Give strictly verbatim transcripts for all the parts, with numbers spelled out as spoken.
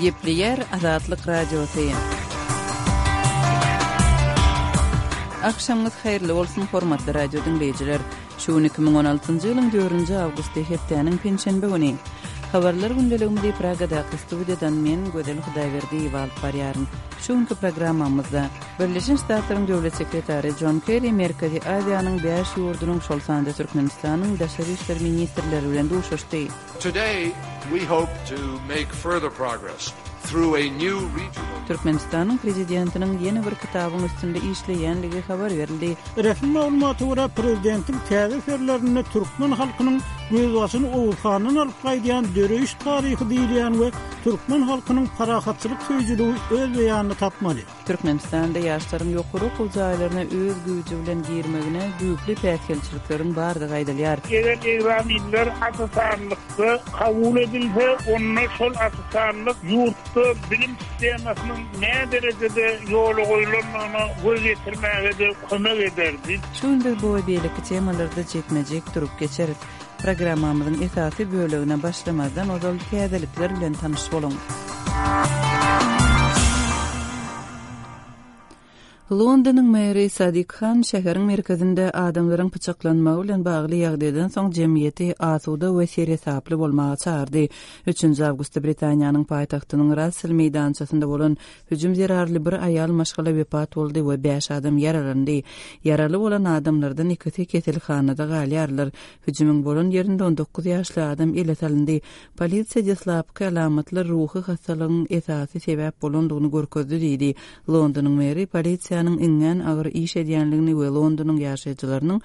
Gepleýär Azatlyk Radiosy. Agşamyňyz haýyrly bolsun, hormatly radio diňleýjiler. Şu gün iki müň on altynjy ýylyň dördünji awgusty, hepdäniň penşenbe güni. Habarlar gündeligimizi Pragadaky studiýadan men, Gözel Hudaýberdiýewa alyp barýaryn. Şu günki programmamyzda Birleşen Ştatlaryň Döwlet sekretary Jon Kerri Merkezi Aziýanyň bäş ýurdunyň, şol sanda Türkmenistanyň daşary işler ministrleri bilen duşuşdy. Today we hope to make further progress through a new regional. Türkmenistanyň Prezidentiniň ýene bir kitabyň üstünde işleýänligi habar berildi. Resmi maglumata görä, prezidentiň täze eserlerinde türkmen halkynyň gözbaşyny Oguz handan alyp gaýdýan döreýiş taryhy diýilýän we türkmen halkynyň parahatçylyk söýüjiligi öz beýanyny tapmaly. Türkmenistanda ýaşlaryň ýokary okuw jaýlaryna öz güýji bilen girmegine düýpli päsgelçilikleriň bardygy aýdylýar. Eger ekzamenler asysanlykda kabul edilse, onda şol asysanlyk ýurtda bilim sistemasynyň näderejede ýola goýlandygyna göz ýetirmäge-de kömek ederdi. Şu gün biz bu we beýleki temalarda jikme-jik durup geçeris. Programmamyzyň esasy bölegine başlamazdan ozal täzelikler bilen tanyş boluň. Londonyň meri Sadik Han şäheriň merkezinde adamlaryň pyçaklanmagy bilen bagly ýagdaýdan soň jemgyýeti asuda we seresaply bolmaga çagyrdy. Üçünji awgustda Britaniýanyň paýtagtynyň Rassel meýdançasynda bolan hüjüm zerarly bir aýal maşgala wepat boldy we bäş adam ýaralandy. Ýaraly bolan adamlardan ikisi keselhanada galýarlar. Hüjümiň bolan ýerinde on dokuz ýaşly adam ele salyndy. Polisiýa deslapky alamatlar ruhy hassalygyň esasy sebäp bolandygyny görkezdi diýdi. Londonyň meri polisiýanyň iňňän agyr iş edýänligini we Londonyň ýaşaýjylarynyň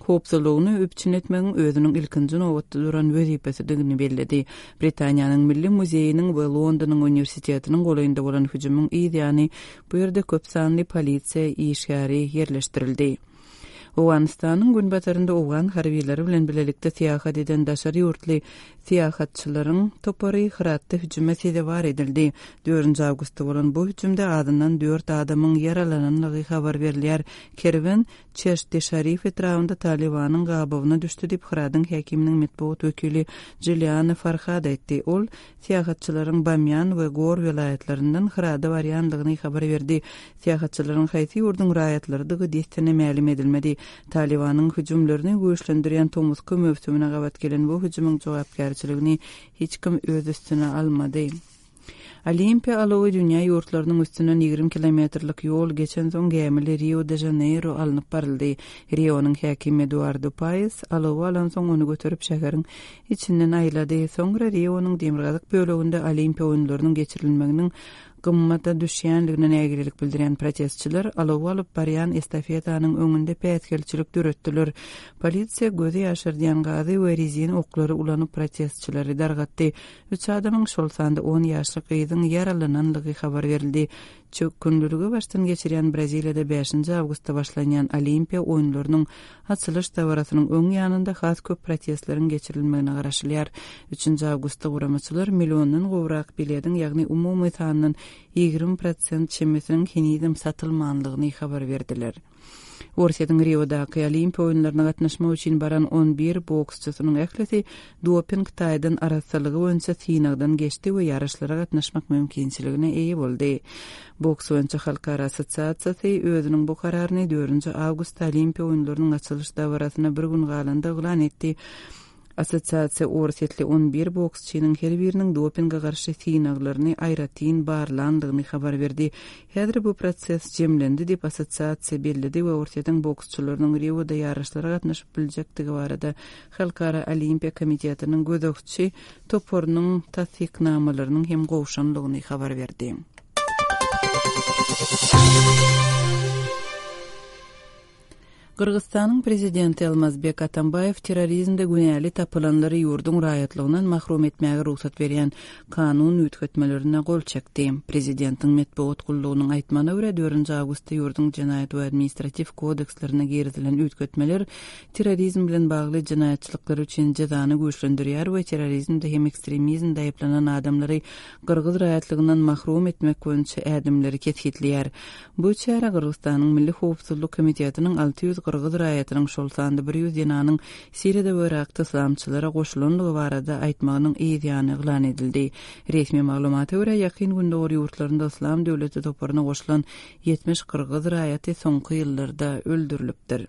howpsuzlygyny üpjün etmegiň özüniň ilkinji nobatda duran wezipesidigini belledi. Britaniýanyň Milli muzeýiniň we Londonyň uniwersitetiniň golaýynda bolan hüjümiň yz ýany bu ýerde köp sanly polisiýa işgäri ýerleşdirildi. Owganystanyň günbatarynda owgan harbylary bilen bilelikde syýahat eden daşary ýurtly syýahatçylaryň topary Hyratda hüjüme sezewar edildi. Dördünji awgustda bolan bu hüjümde azyndan dört adamyň ýaralananlygy habar berilýär. Kerwen Çeşti-Şarif etrabynda Talibanyň gabawyna düşdi diýip Hyradyň häkiminiň metbugat wekili Jiliana Farhad aýtdy. Ol syýahatçylaryň Bamýan we Gor welaýatlaryndan Hyrada barýandygyny habar berdi. Syýahatçylaryň haýsy ýurduň raýatlarydygy dessine mälim edilmedi. Talibanyň hüjümlerini güýçlendirýän tomusky möwsümine gabat gelen bu hüjümiň jogapkärçiligini hiç kim öz üstüne almady. Olimpiýa alawy dünýä ýurtlarynyň üstünden ýigrimi kilometrlik ýol geçen soň gämili Rio de Janeiro alnyp baryldy. Rionyň häkimi Eduardo Paes alawy alan soň ony göterip şäheriň içinden aýlady. Soňra Rionyň demirgazyk böleginde Olimpiýa oýunlarynyň geçirilmeginiň gymmata düşýänligine nägilelik bildirýän protestçiler alawy alyp barýan estafetanyň öňünde päsgelçilik döretdiler. Polisiýa gözi ýaşardýan gazy we rezin oklary ulanyp protestçileri dargatdy. Üç adamyň, şol sanda on ýaşly gyzyň ýaralananlygy habar berildi. Çökgünliligi başdan geçirýän Braziliýada bäşinji awgustda başlanýan Olimpiýa oýunlarynyň açylyş dabarasynyň öň ýanynda has köp protestleriň geçirilmegine garaşylýar. Üçünji awgustda guramaçylar milliondan gowrak bilediň, ýagny umumy sandan ýigrimi prosent çemesiniň henizem satylmanlygyny habar berdiler. Orsýetiň Riodaky Olimpiýa oýunlaryna gatnaşmak üçin baran on bir boksçysynyň ählisi doping taýdan arassalygy boýunça synagdan geçdi we ýaryşlara gatnaşmak mümkinçiligine eýe boldy. Boks boýunça Halkara assosiasiýasy özüniň bu kararyny dördünji awgustda Olimpiýa oýunlarynyň açylyş dabarasyna bir gün galanda yglan etdi. Assosiasiýa orsýetli on bir boksçynyň her biriniň dopinge garşy synaglaryny aýratyn barlandygyny habar berdi. Häzir bu proses jemlendi diýip assosiasiýa belledi we Orsýetiň boksçylarynyň Rioda ýaryşlara gatnaşyp biljekdigi barada Halkara Olimpiýa komitetiniň gözegçi toparynyň tassyknamalarynyň hem gowşanlygyny habar berdi. Gyrgyzystanyň prezidenti Almazbek Atambaýew terrorizmde günäli tapylanlary ýurduň raýatlygyndan mahrum etmäge rugsat berýän kanun üýtgetmelerine gol çekdi. Prezidentiň metbugat gullugynyň aýtmagyna görä, dördünji awgustda ýurduň jenaýat we administratiw kodekslerine girizilen üýtgetmeler terrorizm bilen bagly jenaýatçylyklar üçin jezany güýçlendirýär we terrorizmde hem ekstremizmde aýyplanan adamlary gyrgyz raýatlygyndan mahrum etmek boýunça ädimleri kesgitleýär. Bu çäre Gyrgyzystanyň Milli Howpsuzlyk Komitetiniň alty ýüz gyrgyz raýatynyň, şol sanda bir ýüz zenanyň Siriýada we Yrakda yslamçylara goşulandygy barada aýtmagynyň yz ýany yglan edildi. Resmi maglumata görä, Ýakyn Gündogar ýurtlarynda Yslam döwleti toparyna goşulan ýetmiş gyrgyz raýaty soňky ýyllarda öldürilipdir.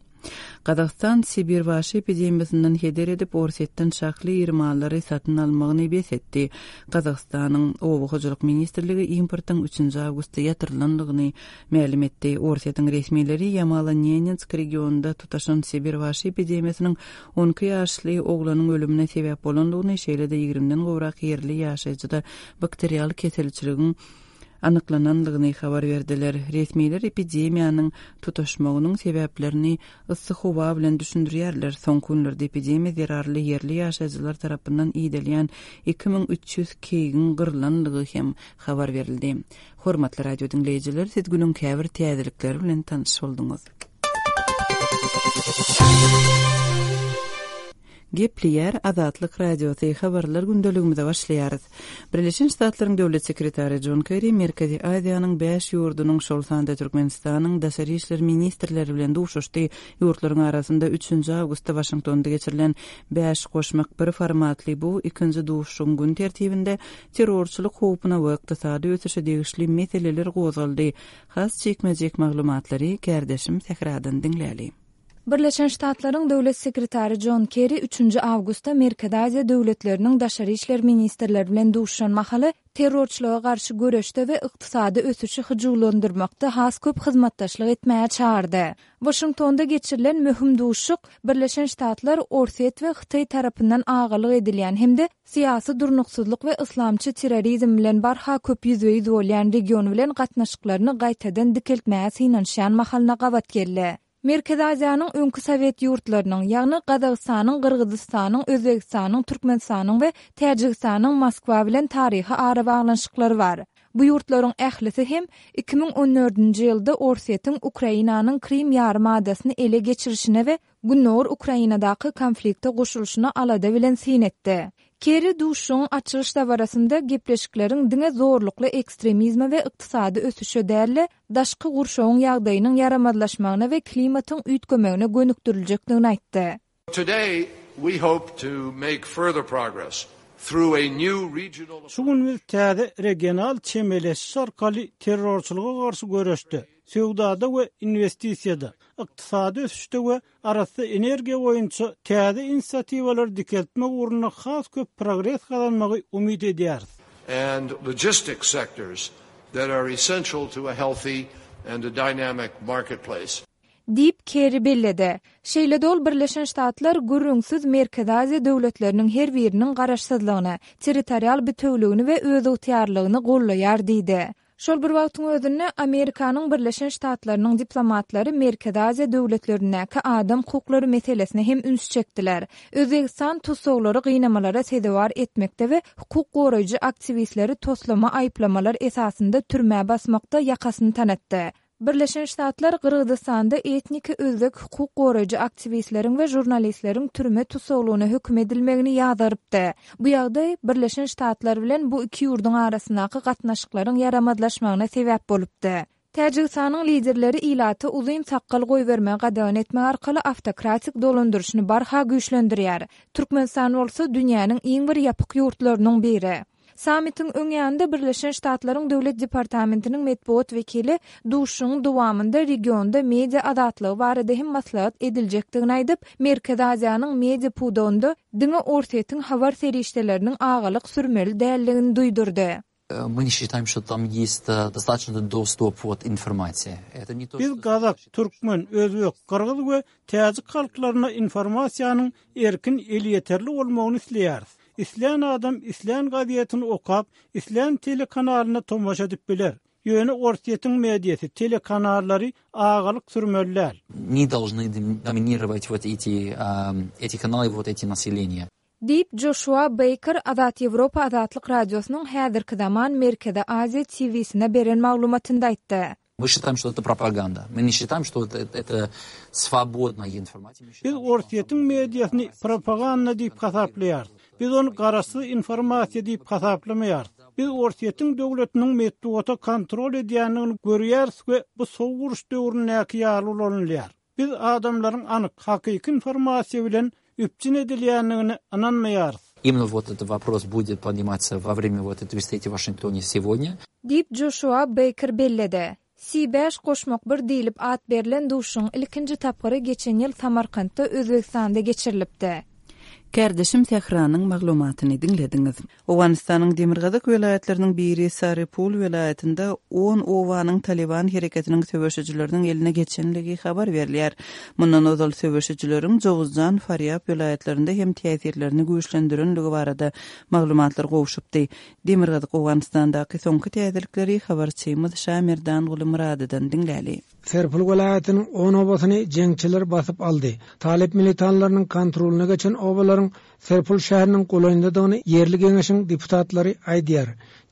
Gazagystan Sibirbaşy epidemiýasyndan heder edip, Orsýetden şahly iri mallary satyn almagyny bes etdi. Gazagystanyň Oba hojalyk ministrligi importyň üçünji awgustda ýatyrylandygyny mälim etdi. Orsýetiň resmileri Ýamalo-Nenetsk regionynda tutaşan Sibirbaşy epidemiýasynyň on iki ýaşly oglanyň ölümine sebäp bolandygyny, şeýle-de ýigrimiden gowrak ýerli ýaşaýjyda bakterial keselçiligiň anyklanandygyny habar berdiler. Resmiler epidemiýanyň tutaşmagynyň sebäplerini yssy howa bilen düşündirýärler. Soňky günlerde epidemiýa zerarly ýerli ýaşaýjylar tarapyndan iýdilýän iki müň üç ýüz keýigiň gyrylandygy hem habar berildi. Hormatly radio diňleýjiler, siz günüň käbir täzelikleri bilen tanyş bolduňyz. Gepleýär Azatlyk Radiosy, habarlar gündeligimize başlaýarys. Birleşen Ştatlaryň Döwlet sekretary John Kerry Merkezi Aziýanyň bäş ýurdunyň, şol sanda Türkmenistanyň daşary işler ministrleri bilen duşuşdy. Ýurtlaryň arasynda üçünji awgustda Waşingtonda geçirilen bäş goşmak bir formatly bu ikinji duşuşygyň gün tertibinde terrorçylyk howpuna we ykdysady ösüşe degişli meseleler gozgaldy. Has jikme-jik maglumatlary kärdeşim Sähradan diňläli. Birleşen Ştatlaryň Döwlet sekretary John Kerry üçünji awgustda Merkezi Aziýa döwletleriniň daşary işler ministrleri bilen duşuşan mahaly terrorçylyga garşy göreşde we ykdysady ösüşi hyjuwlandyrmakda has köp hyzmatdaşlyk etmäge çagyrdy. Waşingtonda geçirilen möhüm duşuşyk Birleşen Ştatlar, Orsýet we Hytaý tarapyndan agalyk edilýän hem-de syýasy durnuksyzlyk we yslamçy terrorizm bilen barha köp ýüzbe-ýüz bolýan region bilen gatnaşyklaryny gaýtadan dikeltmäge synanyşýan mahalyna gabat geldi. Merkezi Aziýanyň öňki Sowet ýurtlarynyň, ýagny Gazagystanyň, Gyrgyzystanyň, Özbegistanyň, Türkmenistanyň we Täjigistanyň Moskwa bilen taryhy arabaglanyşyklary bar. Bu ýurtlaryň ählisi hem iki müň on dördünji ýylda Orsýetiň Ukrainanyň Krim ýarym adasyny ele geçirişine we Gündogar Ukrainadaky konflikte goşulyşyna alada bilen syn etdi. Kerry duşuşygyň açylyş dabarasynda gepleşikleriň diňe zorlukly ekstremizme we ykdysady ösüşe däl-de, daşky gurşawyň ýagdaýynyň ýaramazlaşmagyna we klimatyň üýtgemegine gönükdiriljekdigini aýtdy. Today we hope to make further progress through a new regional Şu gün biz täze regional çemeleşiş arkaly terrorçylyga garşy göreşde, söwdada we investisiýada, ykdysady ösüşde we arassa energiýa boýunça täze inisiatiwalary dikeltmek ugrunda has köp progres gazanmagy umyt edýäris. And logistics sectors that are essential to a healthy and a dynamic marketplace. Diýip Kerry belledi. Şeýle-de ol Birleşen Ştatlar gürrüňsiz Merkezi Aziýa döwletleriniň her biriniň garaşsyzlygyny, territorial bütewligini we özygtyýarlygyny gollaýar diýdi. Şol bir wagtyň özünde Amerikanyň Birleşen Ştatlarynyň diplomatlary Merkezi Aziýa döwletlerindäki adam hukuklary meselesine hem üns çekdiler. Özbegistan tussaglary gynamalara sezewar etmekde we hukuk goraýjy aktiwistleri toslama aýyplamalar esasynda türmä basmakda ýakasyny tanatdy. Birleşen Ştatlar Gyrgyzystanda etniki özbek hukuk goraýjy aktiwistleriň we žurnalistleriň türme tussaglygyna höküm edilmegini ýazarypdy. Bu ýagdaý Birleşen Ştatlar bilen bu iki ýurduň arasyndaky gatnaşyklaryň ýaramazlaşmagyna sebäp bolupdy. Täjigistanyň liderleri ilaty uzyn sakgal goýbermegi gadagan etmek arkaly awtokratik dolandyryşyny barha güýçlendirýär. Türkmenistan bolsa dünýäniň iň bir ýapyk ýurtlarynyň biri. Sammitiň öň ýanynda Birleşen Ştatlaryň Döwlet Departamentiniň metbugat wekili duşuşygyň dowamynda regionda media azatlygy barada hem maslahat ediljekdigini aýdyp, Merkezi Aziýanyň media pudagynda diňe Orsýetiň habar serişdeleriniň agalyk sürmeli däldigini duýdurdy. Мы не считаем, что там есть достаточно доступ от информации. Это не то, Biz что gazak, türkmen, özbek, gyrgyz we täjik halklaryna informasiýanyň erkin elýeterli bolmagyny isleýäris. Islän adam islän gazetini okap, islän telekanalyna tomaşa edip biler. Ýöne Orsýetiň mediasy, telekanallary agalyk sürmeliler. Не должны доминировать вот эти, а, эти каналы, вот эти населения. Diýip Joshua Baker Azat Ýewropa Azatlyk Radiosynyň häzirki zaman Merkezi Aziýa T V-sine beren maglumatynda aýtdy. Мы считаем, что это пропаганда. Мы не считаем, что это, это свободная информация. Мы считаем, Biz Orsýetiň mediasyny propaganda diýip hasaplaýarys. Biz ony garaşsyz informasiýa diýip hasaplamaýarys. Biz Orsýetiň döwletiniň metbugata kontrol edýändigini görýäris we bu soğuk uruş döwründäki ýaly ulanylýar. Biz adamlaryň anyk, hakyky informasiýa bilen üpjün edilýändigine ynanmaýarys. Именно вот этот вопрос будет подниматься во время вот этой встречи в Вашингтоне сегодня. Diýip Joşua Beýker belledi. Si bäş goşmak bir diýlip at berlen duşuşygyň ilkinji tapgyry geçen ýyl Samarkantda, Özbegistanda geçirilipdi. Kärdeşim Sähranyň maglumatyny diňlediňiz. Owganystanyň demirgazyk welaýatlarynyň biri Sarypul welaýatynda on obanyň Taliban hereketiniň söweşijileriniň eline geçenligi habar berilýär. Mundan ozal söweşijileriň Jowuzjan, Farýab welaýatlarynda hem täsirlerini güýçlendirenligi barada maglumatlar gowşupdy. Demirgazyk Owganystandaky soňky täzelikleri habarçymyz Şamerdan Gulumyradydan diňläli. Serpil welaýatynyň on obasyny jeňçiler basyp aldy. Talyp militanlarynyň kontrolyna geçen obalaryň Serpil şäheriniň golaýyndadygyny ýerli geňeşiň deputatlary aýdýar.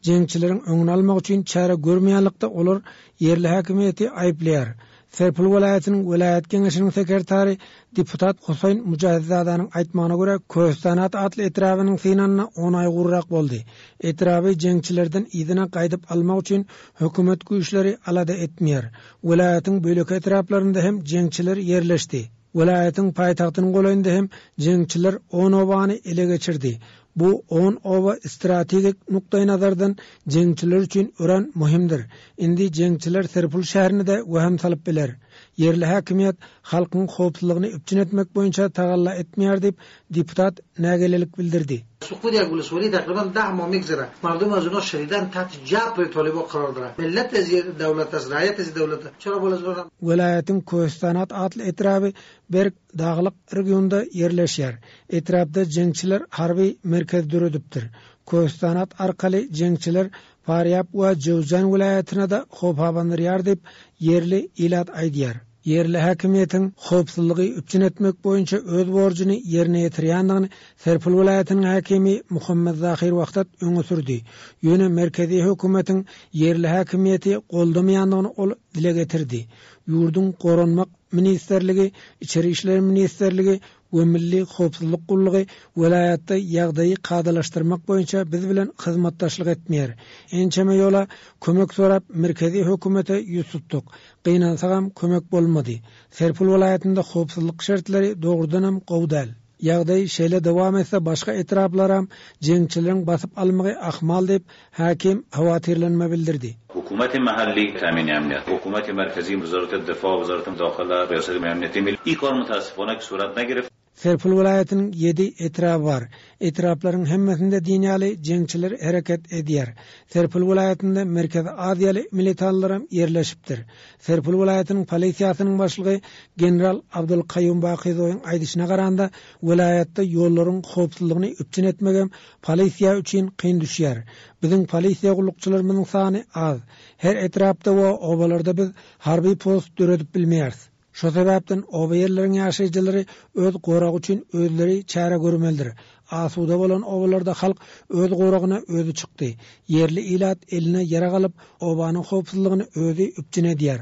Jeňçileriň öňüni almak üçin çäre görmeýänlikde olar ýerli häkimiýeti aýyplaýar. Serpil welaýatynyň welaýat geňeşiniň sekretary deputat Huseýn Mujahidзadanyň aýtmagyna görä Köstanat atly etrabynyň synanyna on aý gurrak boldy. Etraby jeňçilerden yzyna gaýdyp almak üçin hökümet güýçleri alada etmeýär. Welaýatyň bölek etraplarynda hem jeňçiler ýerleşdi. Welaýatyň paýtagtynyň golaýynda hem jeňçiler on obany ele geçirdi. Bu on oba strategik nukdaý nazardan jeňçiler üçin örän möhümdir. Indi jeňçiler Serpil şäherine de wehim salyp biler. Ýerli häkimiýet halkyň howpsuzlygyny üpjün etmek boýunça tagalla etmeýär diýip deputat nägilelik bildirdi. سقوط یک ولسوالی تقریبا ده ماه میگذره. مردم از اونا شدیداً تحت جبر طالبا قرار دارن. ملت از دولت است، رعیت از دولت است. چرا بالا از Welaýatyň Köstanat atly etraby berk daglyk regionda ýerleşýär. Etrapda jeňçiler harby merkez döredipdir. Köstanat arkaly jeňçiler Farýab we Jowzjan welaýatyna da howp abandyrýar diýip ýerli ilat aýdýar. Ýerli häkimiýetiň howpsuzlygy üpjün etmek boýunça öz borjuny ýerine ýetirýändigini Serpil welaýatynyň häkimi Muhammed Zahir Wahdat öňe sürdi. Ýöne merkezi hökümetiň ýerli häkimiýeti goldamaýandygyny ol dile getirdi. Ýurduň Goranmak Ministerligi, Içeri İşler Ministerligi we Milli Howpsuzlyk Gullugy welaýatda ýagdaýy kadalaşdyrmak boýunça biz bilen hyzmatdaşlyk etmeýär. Ençeme ýola kömek sorap merkezi hökümete ýüz tutduk. Gynansagam kömek bolmady. Serpil welaýatynda howpsuzlyk şertleri dogrudanam gowy däl. Ýagdaý şeýle dowam etse başga etraplaram jeňçileriň basyp almagy ahmal diýip hakim howatyrlanma bildirdi. حکومت محلی تامین امنیت، حکومت مرکزی وزارت دفاع، وزارت داخله، ریاست امنیتی ملی این کار متاسفانه که صورت نگرفت. Serpil welaýatynyň ýedi etraby bar. Etraplaryň hemmesinde dünýäli jeňçiler hereket edýär. Serpil welaýatynda Merkezi Aziýaly militanlaram ýerleşipdir. Serpil welaýatynyň polisiýasynyň başlygy general Abdul Kaýum Bakyzowyň aýdyşyna garanda welaýatda ýollaryň howpsuzlygyny üpjün etmegem polisiýa üçin kyn düşýär. Biziň polisiýa gullukçylarymyzyň sany az. Her etrapda we obalarda biz harby post döredip bilmeýäris. Şo sebäpden oba ýerleriň ýaşaýjylary öz goragy üçin özleri çäre görmelidir. Asuda bolan obalarda halk öz goragyna özi çykdy. Ýerli ilat eline ýarag alyp, obanyň howpsuzlygyny özi üpjün edýär.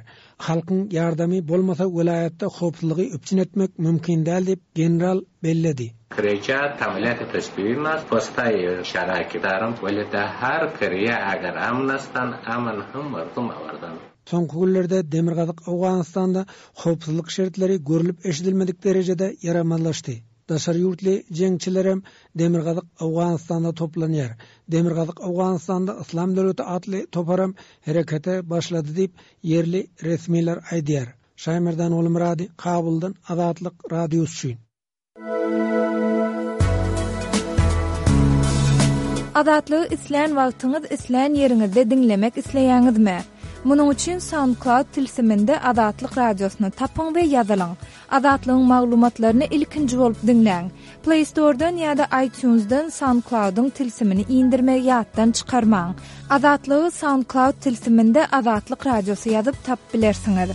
Halkyň ýardamy bolmasa welaýatda howpsuzlygy üpjün etmek mümkin däl diýip general belledi. Kreja تملیت تسبیحی ماست واسطه شرک دارم ولی در هر کریه اگر امن هستند امن هم مردم آوردن. Soňky günlerde Demirgazyk Owganystanda howpsuzlyk şertleri görülüp eşidilmedik derejede ýaramanlaşdy. Daşary ýurtly jeňçilerem Demirgazyk Owganystanda toplanýar. Demirgazyk Owganystanda Islam döwleti atly toparam herekete başlady diýip ýerli resmiler aýdýar. Şaýmerdan Oglumyrady, Kabuldan Azatlyk Radiosy üçin. Azatlygy islän wagtyňyz, islän ýeriňizde diňlemek isleýäňizmi? Munuň üçin SoundCloud tilsiminde Azatlyk Radiosyny tapyň we ýazylyň. Azatlygyň maglumatlaryny ilkinji bolup diňläň. Play Store'dan ýa-da iTunes'dan SoundCloud'yň tilsimini indirmegi ýatdan çykarmaň. Azatlygy SoundCloud tilsiminde Azatlyk Radiosy ýazyp tap bilersiňiz.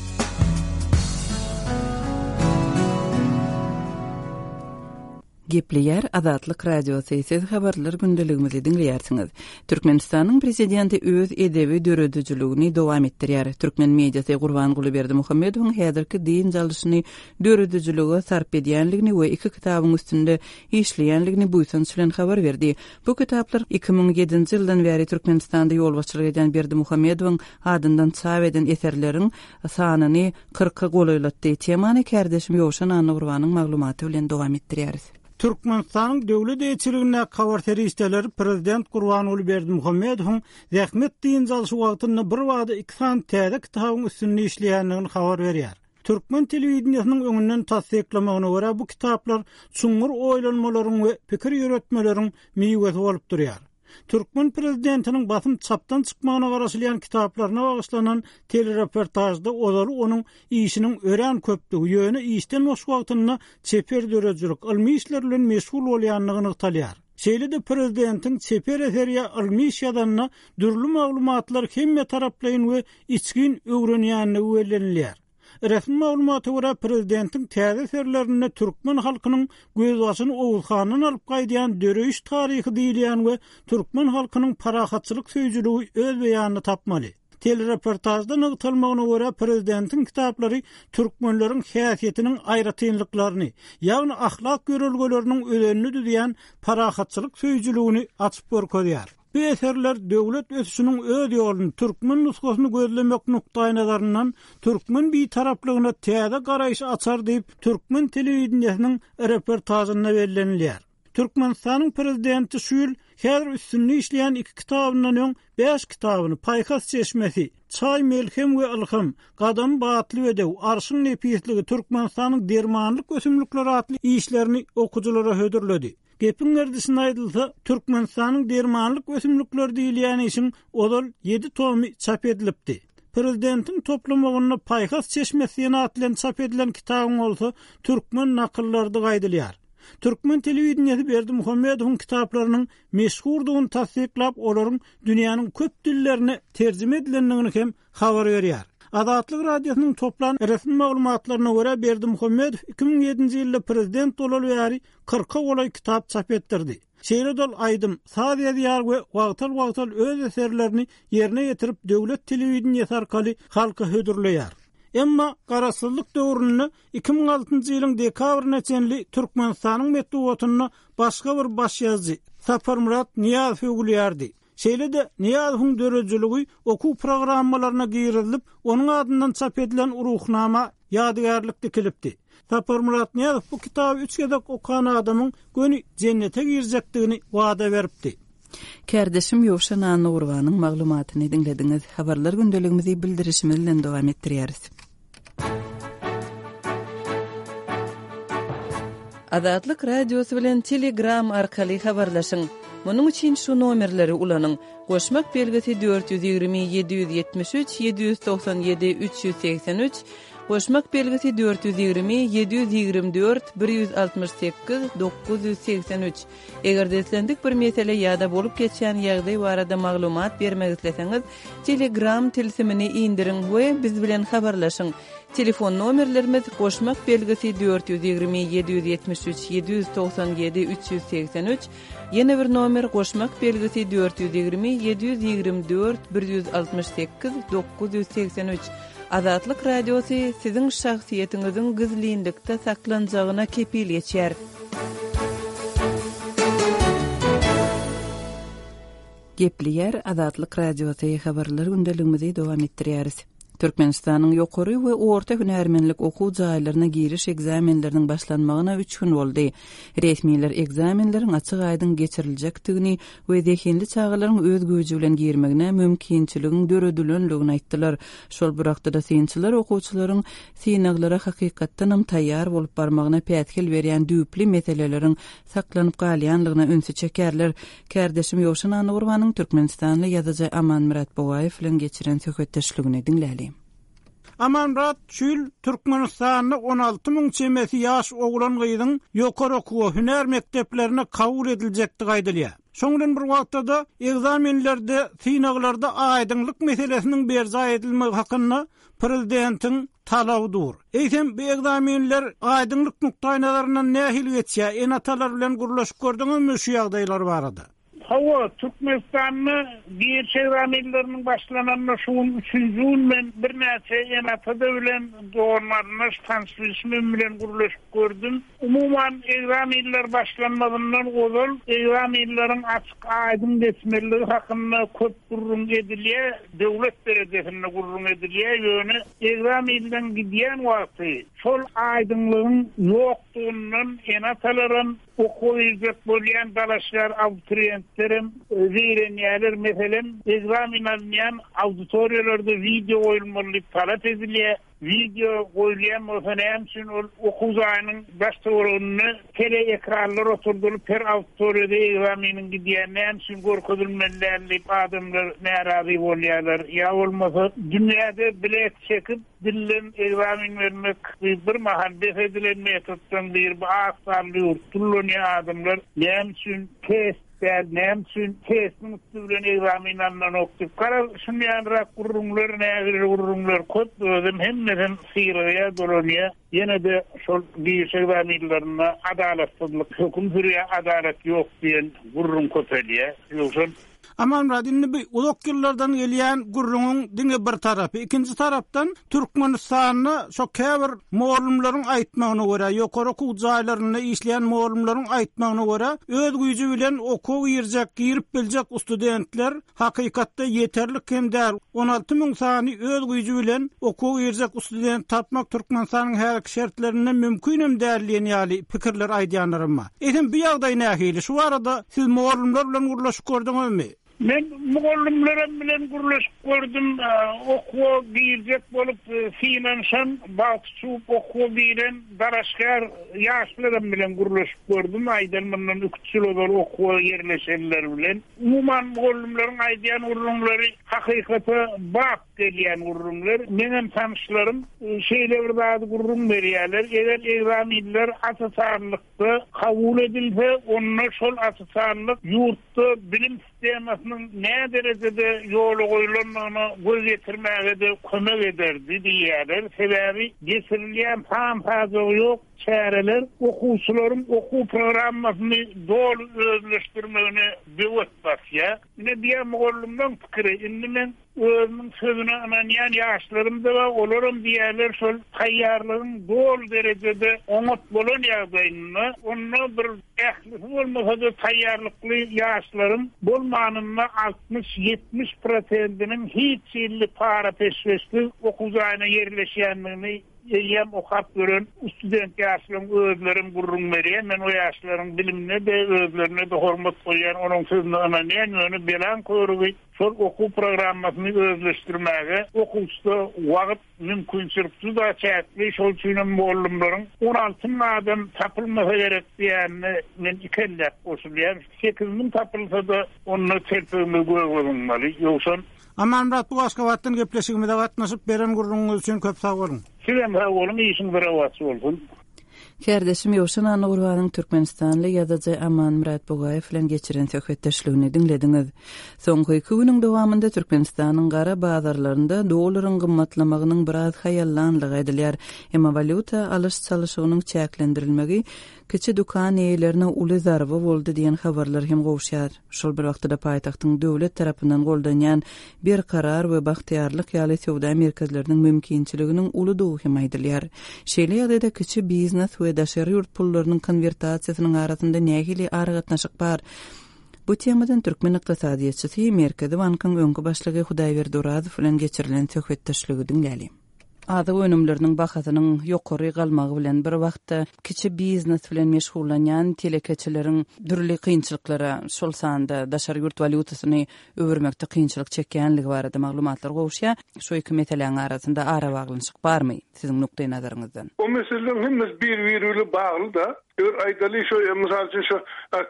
Gepleýär Azatlyk Radiosy, siz habarlar gündeligimizi diňleýärsiňiz. Türkmenistanyň prezidenti öz edebi döredijiligini dowam etdirýär. Türkmen mediasy Gurbanguly Berdimuhamedowyň häzirki dynç alyşyny döredijilige sarp edýänligini we iki kitabyň üstünde işleýänligini buýsanç bilen habar berdi. Bu kitaplar iki müň ýedinji ýyldan bäri Türkmenistanda ýolbaşçylyk edýän Berdimuhamedowyň adyndan çap eden eserleriň sanyny kyrka golaýlatdy. Temany kärdeşim Ýowşan Annagurbanyň maglumaty bilen dowam etdirýäris. Türkmenistanyň döwlet eýeçiligindäki habar serişdeleri prezident Gurbanguly Berdimuhamedowyň zähmet dynç alyşy wagtynda bir wagtda iki sany täze kitabyň üstünde işleýändigini habar berýär. Türkmen telewideniýesiniň öňünden tassyklamagyna görä bu kitaplar çuňňur oýlanmalaryň we pikir ýöretmeleriň miwesi bolup durýar. Türkmen prezidentiniň basym çapdan çykmagyna garaşylýan kitaplaryna bagyşlanan telereportajda ozaly onuň işiniň örän köpdügi, ýöne işden boş wagtynda çeper döredijilik, ylmy işler bilen meşgul bolýandygy nygtalýar. Şeýle-de prezidentiň çeper eser ýa ylmy iş ýazanda dürli maglumatlar hemme taraplaýyn we içgin öwrenýändigi bellenilýär. Resmi maglumata görä prezidentiň täze eserlerinde türkmen halkynyň gözbaşyny Oguzhandan alyp gaýdýan döreýiş taryhy diýilýän we türkmen halkynyň parahatçylyk söýüjiligi öz beýanyny tapmaly. Telereportajda nygtalmagyna görä prezidentiň kitaplary türkmenleriň häsiýetiniň aýratynlyklaryny, ýagny ahlak ýörelgeleriniň özenini düzýän parahatçylyk söýüjiligini açyp görkezýär. Bu eserler döwlet ösüşiniň öz ýoluny türkmen nusgasyny gözlemek nukdaýnazaryndan türkmen bitaraplygyna täze garaýyş açar diýip türkmen telewideniýesiniň reportajynda bellenilýär. Türkmenistanyň prezidenti şu ýyl häzir üstünde işleýän iki kitabyndan öň bäş kitabyny Paýhas çeşmesi, Çaý melhem we ylham, Gadam batly bedew, Arşyň nepisligi, Türkmenistanyň dermanlyk ösümlikleri atly işlerini okyjylara hödürledi. Gepiň gerdişine aýdylsa, Türkmenistanyň dermanlyk ösümlikleri diýilýän işiň ozal ýedi tomy çap edilipdi. Prezidentiň toplamagynda Paýhas çeşmesi diýen at bilen çap edilen kitabyň bolsa türkmen nakyllarydygy aýdylýar. Türkmen telewideniýesi Berdimuhamedowyň kitaplarynyň meşhurdygyny tassyklap, olaryň dünýäniň köp dillerine terjime edilendigini hem habar berýär. Azatlyk Radiosynyň toplan resmi maglumatlaryna görä Berdimuhamedow iki müň ýedinji ýylda prezident bolaly bäri kyrka golaý kitap çap etdirdi. Şeýle dol aýdym, saz ýazýar we wagtal-wagtal öz eserlerini ýerine ýetirip döwlet telewideniýesi arkaly halka hödürleýär. Emma garaşsyzlyk döwründe iki müň altynjy ýylyň dekabryna çenli Türkmenistanyň metbugatynda başga bir baş ýazyjy Saparmyrat Nyýazow öwülýärdi. Şeýle-de Nyýazowyň döredijiligi okuw programmalaryna girizilip, onuň adyndan çap edilen ruhnama ýadygärlik dikilipdi. Saparmyrat Nyýazow bu kitaby üç gezek okan adamyň göni jennete girjekdigini wada beripdi. Kärdeşim Ýowşan Annagurbanyň maglumatyny diňlediňiz. Habarlar gündeligimizi bildirişimiz bilen dowam etdirýäris. Azatlyk Radiosy bilen Telegram arkaly habarlaşyň. Munuň üçin şu nomerleri ulanyň. Goşmak belgisi dört ýüz ýigrimi ýedi ýüz ýetmiş üç ýedi ýüz togsan ýedi üç ýüz segsen üç, goşmak belgisi dört ýüz ýigrimi ýedi ýüz ýigrimi dört bir ýüz altmyş sekiz dokuz ýüz segsen üç. Eger-de islendik bir mesele ýa-da bolup geçýän ýagdaý barada maglumat bermek isleseňiz, Telegram tilsimini indiriň we biz bilen habarlaşyň. Telefon nomerlerimiz goşmak belgisi dört ýüz ýigrimi ýedi ýüz ýetmiş üç ýedi ýüz togsan ýedi üç ýüz segsen üç, ýene bir nomer goşmak belgisi dört ýüz ýigrimi ýedi ýüz ýigrimi dört bir ýüz altmyş sekiz dokuz ýüz segsen üç. Azatlyk Radiosy siziň şahsyýetiňiziň gizlinlikde saklanjagyna kepil geçýär. Gepleýär Azatlyk Radiosy habarlar gündeligimizi dowam etdirýäris. Türkmenistanyň ýokary we orta hünärmenlik okuw jaýlaryna giriş ekzamenleriniň başlanmagyna üç gün boldy. Resmiler ekzamenleriň açyk aýdyň geçiriljekdigini we zehinli çagalaryň öz güýji bilen girmegine mümkinçiligiň döredilendigini aýtdylar. Şol bir wagtda synçylar okuwçylaryň synaglara hakykatdanam taýýar bolup barmagyna päsgel berýän düýpli meseleleriň saklanyp galýanlygyna ünsi çekerler. Kärdeşim Ýowşan Annagurbanyň Türkmenistanly ýazyjy Amanmyrat Bugaýew bilen geçiren söhbetdeşligini diňläli. Amanmyrat şu ýyl Türkmenistanda on alty müň çemesi ýaş oglan gyzyň ýokary okuwa hünär mekdeplerine kabul ediljekdigi aýdylýar. Şoň bilen bir wagtda-da ekzamenlerde, synaglarda aýdyňlyk meselesiniň berjaý edilmegi hakynda prezidentiň talaby dur. Eýsem bu ekzamenler aýdyňlyk nukdaýnazaryndan nähili geçýär? Ene-atalar bilen gürleşip gördüňizmi şu ýagdaýlar barada? Hawa, Türkmenistanda giriş ekzamenleriniň başlananyna şu gün üçünji gün men birnäçe ene-atada bilen doganlaryndaş tanyş-bilişimim bilen gürleşip gördüm. Umuman ekzamenler başlanmazyndan ozal ekzamenleriň açyk aýdyň geçmeliligi hakynda köp gürrüň edilýär, döwlet derejesinde gürrüň edilýär, ýöne ekzamenden gidýän wagty şol aýdyňlygyň ýokdugyndan ene-atalaram okuwa girjek bolýan dalaşgar abituriyentlerem zeýrenýärler. Meselem, ekzamen alynýan auditoriýalarda wideo goýulmaly diýip talap edilýär. Wideo goýulýan bolsa näme üçin ol okuw jaýynyň daş töwereginde teleekranlar oturdylyp her auditoriýada ekzameniň gidýän näme üçin görkezilmeli däl diýip adamlar närazy bolýarlar. Ýa bolmasa dünýäde bilet çekip dillen ekzamen bermek bir mahal bes edilen metoddan bir bu az sanly ýurt kullanýan adamlar näme üçin test däl, näme üçin testiň üstü bilen ekzamen alynanok diýip, garaz, şunday ýalyrak gürrüňler, nägile gürrüňler köp, özüm hemmesem syragýa dolanýar. Ýene-de şol giriş ekzamenlerinde adalatsyzlyk höküm sürýär, adalat ýok diýen gürrüň köpelýär. Ýogsa Amanmyrat, indi bu uzak ýyllardan gelýän gürrüňiň diňe bir tarapy, ikinji tarapdan Türkmenistanda şo käbir mugallymlaryň aýtmagyna görä, ýokary okuw jaýlarynda işleýän mugallymlaryň aýtmagyna görä, öz güýji bilen okuwa girjek, girip biljek studentler hakykatda ýeterlik hem däl. on alty müň sany öz güýji bilen okuwa girjek student tapmak Türkmenistanyň häzirki şertlerinde mümkin hem däl diýen ýaly pikirler aýdýanlarym bar. Eýsem bu ýagdaý nähili? Şu barada siz mugallymlar bilen gürleşip gördüňizmi? Men mugallymlarym bilen gürleşip gördüm, e, okuwa girjek bolup, e, synanyşan, bagty çuwup okuwa giren dalaşgär ýaşlarym bilen gürleşip gördüm. Aýdan mundan üç ýyl ozal okuwa ýerleşenler bilen. Umuman mugallymlaryň aýdýan gürrüňleri hakykata bap gelýän gürrüňler. Menem tanyşlarym, e, şeýle bir zady gürrüň berýärler. Eger ekzamenler asasanlykda kabul edilse, onda şol asasanlyk ýurtda bilim sistemasynyň nä derejede ýola goýulandygyna göz ýetirmäge-de kömek ederdi diýýärler. Sebäbi geçirilýän san-sajagy ýok çäreler okuwçylaryň okuw programmasyny doly özleşdirmegine böwet basýar. Ine diýen mugallymlaryň pikiri, indi men özümiň sözüne ynanýan ýaşlarym da bar, olaram diýerler şol taýýarlygyň doly derejede oňat bolan ýagdaýynda, onda bir ählisi bolmasa-da taýýarlykly ýaşlaryň bolmanynda altmyş ýetmiş prosentiniň hiç ýylly para peşgeşsiz okuw jaýyna ýerleşýändigini eýýäm okap gören student ýaşlaryň özlerim gürrüň berýär. Men o ýaşlaryň bilimine-de, özlerine-de hormat goýýan, onuň sözüne ynanýan, ýöne belan körügi şol okuw programmasyny özleşdirmäge okuwçyda wagt mümkinçilik juda çäkli. Şol üçin hem mugallymlaryň on alty müň adam tapylmasa gerek diýenine men ikelläp goşulýan. Sekiz müň tapylsa-da onda telpegimiz göge zyňmaly. Ýogsa Amanmyrat, bu Aşgabatdan gepleşigimize gatnaşyp beren gürrüňiňiz üçin köp sag boluň. Sizem sag boluň, işiňiz rowaç bolsun. Kärdeşim Ýowşan Annagurbanyň Türkmenistanly ýazyjy Amanmyrat Bugaýew bilen geçiren söhbetdeşligini diňlediňiz. Soňky iki günüň dowamynda Türkmenistanyň gara bazarlarynda dollaryň gymmatlamagynyň biraz haýallanlygy aýdylýar. Emma walýuta alyş-çalyşygynyň çäklendirilmegi kiçi dükan eýelerine uly zarba boldy diýen habarlar hem gowşýar. Şol bir wagtda paýtagtyň döwlet tarapyndan goldanýan Berkarar we Bagtyýarlyk ýaly söwda merkezleriniň mümkinçiliginiň uludygy hem aýdylýar. Şeýle ýagdaýda kiçi biznes we daşary ýurt pullarynyň konwertasiýasynyň arasynda nähili aragatnaşyk bar? Bu temadan türkmen ykdysadyýetçisi Merkezi bankyň öňki başlygy Hudaýberdi Orazow bilen geçirilen söhbetdeşligi diňläli. Azyk önümleriniň bahasynyň ýokary galmagy bilen bir wagtda kiçi biznes bilen meşgullanýan telekeçileriň dürli kynçylyklara, şol sanda daşary ýurt walýutasyny öwürmekde kynçylyk çekýänligi barada maglumatlar gowuşýar. Şu iki meseläniň arasynda arabaglanyşyk barmy siziň nukdaý nazaryňyzdan? O meseleleň hemmesi bir-biri bilen bagly da. Eger aýdaly şu mysal üçin şu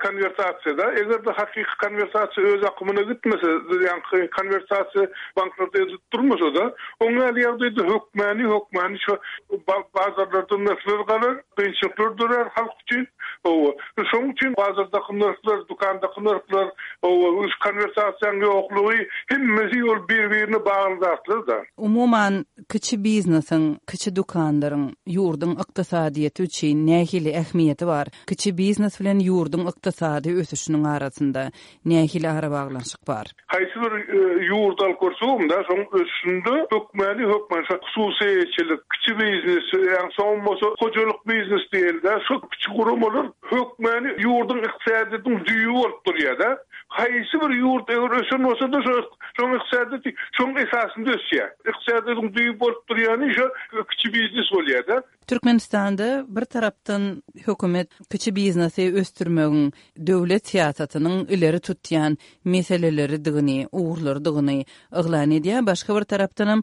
konwertasiýada, eger-de hakyky konwertasiýa öz akymyna gitmese, ýa konwertasiýa banklarda edilip durmasa-da, oň ýaly ýagdaýda hökmäni, hökmäni şu bazarlarda nyrhlar galar, kynçylyklar dörer halk üçin. Owa, şonuň üçin bazardaky nyrhlar, dükandaky nyrhlar, owa, konwertasiýanyň ýoklugy hemmesi ol bir-birine bagly zatlar-da. Umuman, kiçi biznesiň, kiçi dükanlaryň ýurduň ykdysadyýeti üçin nähili ähmiýeti bar? Kiçi biznes bilen ýurduň ykdysady ösüşiniň arasynda nähili arabaglanyşyk bar? Haýsy bir ýurt alyp görsegem-de, şoň ösüşinde hökmäni hökmän şo hususyýetçilik, kiçi biznes, ýa soň bolsa hojalyk biznes diýildi, şo kiçi guramalar hökmäni ýurduň ykdysadyýetiniň düýbi bolup durýar-da. Haýsy bir ýurt eger ösen bolsa-da şo şoň ykdysadyýeti şoň esasynda ösýär. Ykdysadyýetiň düýbi bolup durýany şo kiçi biznes bolýar-da. Türkmenistanda bir tarapdan hökümet kiçi biznesi ösdürmegiň döwlet syýasatynyň ileri tutýan meseleleridigini, ugurlarydygyny yglan edýär. Başga bir tarapdanam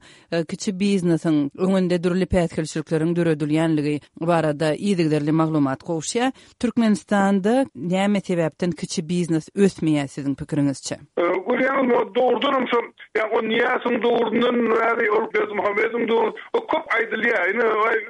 kiçi biznesiň öňünde dürli päsgelçilikleriň döredilýänligi barada yzygiderli maglumat gowşýar. Türkmenistanda näme sebäpden kiçi biznes ösmeýär siziň pikiriňizçe? Görýäňiz, o dogrudanam şol, ýa o Niýazyň döwründen bäri ol Berdimuhamedowyň döwrü, o köp aýdylýar. Ine,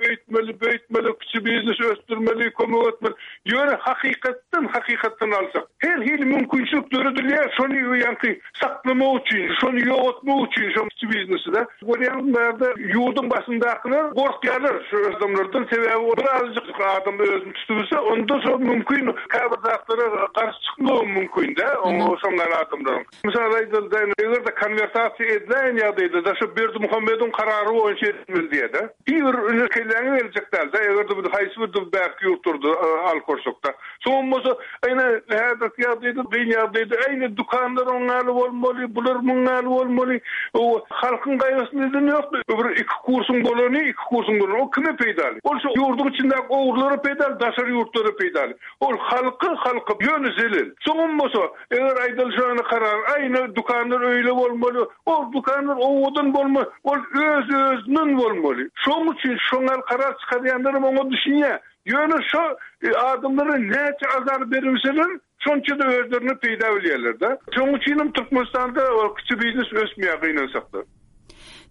öýtmeli, böýtmeli, kiçi biznes ösdürmeli, kömek etmeli. Ýöne hakykatdan, hakykatdan alsak, her hili mümkinçilik döredilýär, şony ýaňky saklamak üçin, şony ýogatmak üçin şo kiçi biznesi-de. Görýäňiz, bärde ýurduň başyndakylar gorkýarlar şu adamlardan, sebäbi birazajyk adam özüni tutup onda şo mümkin käbir zatlara garşy çykmagy mümkin-de, oňa şoňlar adamlaryň. Mysal aýdylda, eger-de konwertasiýa edilen ýagdaýda da şu Berdimuhamedowyň karary boýunça edilmeli diýdi. Bir ünü kelläňe geljek däl-de, eger-de bu haýsy bir bärki ýurtlarda alyp görsek-de. Soň bolsa, ýene häzirki ýagdaýda, kyn ýagdaýda, ýene dükanlar oňaly bolmaly, bular muňaly bolmaly. O halkyň gaýgysyny eden ýok. Bir iki kursuň bolany, iki kursuň bolany, o kime peýdaly? Ol şu ýurduň içindäki ogurlara peýdaly, daşary ýurtlara peýdaly. Ol halky, halky ýöne zelel. Soň bolsa, eger aýdylşany karar, aýna dükanlar öýle bolmaly, ol dükanlar owadan bolmaly, ol öz-özünden bolmaly. Şoň üçin şoňal karar çykarýanlar oňa düşünýär. Ýöne şo adamlara näçe azar berilseler, şonça da özlerine peýda bilýärler-de. Şoň üçin hem Türkmenistanda kiçi biznes ösmeýär gynansakda.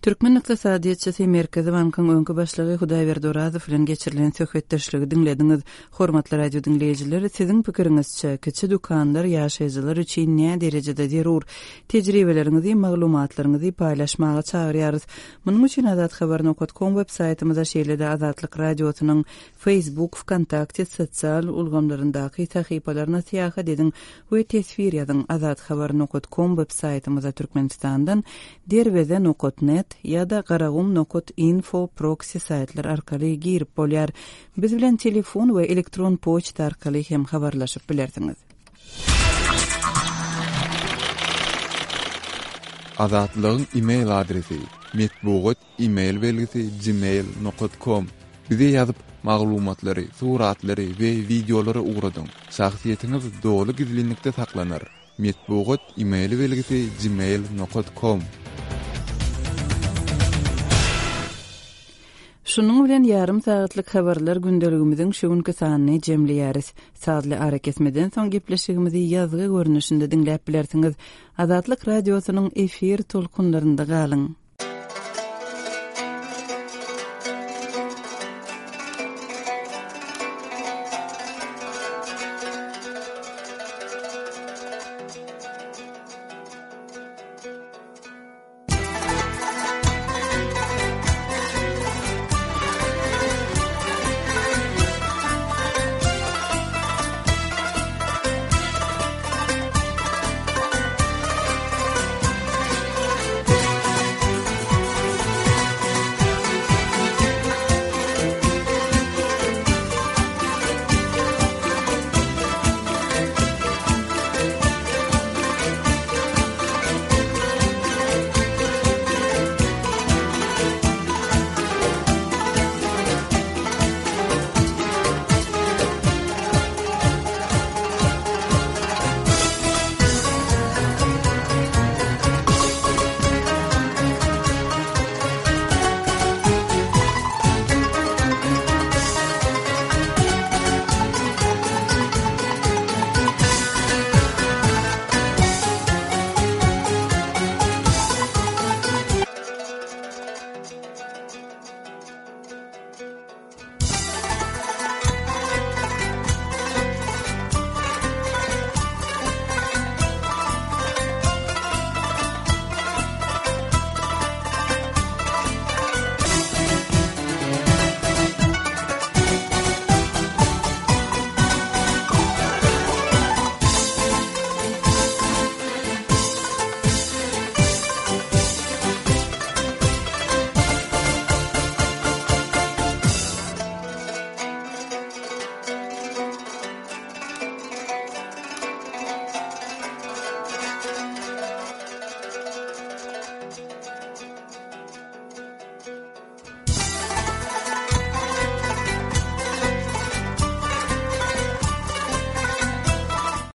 Türkmen ykdysadyýetçisi Merkezi Bankyň öňki başlygy Hudaýberdi Orazow bilen geçirilen söhbetdeşligi diňlediňiz. Hormatly radio diňleýjiler, siziň pikiriňizçe kiçi dükanlar ýaşaýjylar üçin näme derejede zerur? Tejribeleriňizi, maglumatlaryňyzy paýlaşmaga çagyrýarys. Munuň üçin azathabar nokta com web saýtymyza şeýle-de Azatlyk radiosynyň Facebook, VKontakte sosial ulgamlaryndaky sahypalaryna syýahat ediň we teswir ýazyň. Azathabar nokta com web saýtymyza Türkmenistandan derweze nokta net ýa-da garagum nokta info proxy saýtlar arkaly girip bolýar. Biz bilen telefon we elektron poçta arkaly hem habarlaşyp bilersiňiz. Azatlygyň e-mail adresi metbugat e-mail belgisi gmail nokta com. Bize ýazyp maglumatlary, suratlary we wideolary ugradyň. Şahsyýetiňiz doly gizlinlikde saklanar. Metbugat e-mail belgisi gmail nokta com. Şunuň bilen ýarym sagatlyk habarlar gündeligimiziň şu günki sanyny jemleýäris. Sazly arakesmeden soň gepleşigimizi ýazgy görnüşinde diňläp bilersiňiz. Azatlyk radiosynyň efir tolkunlarynda galyň.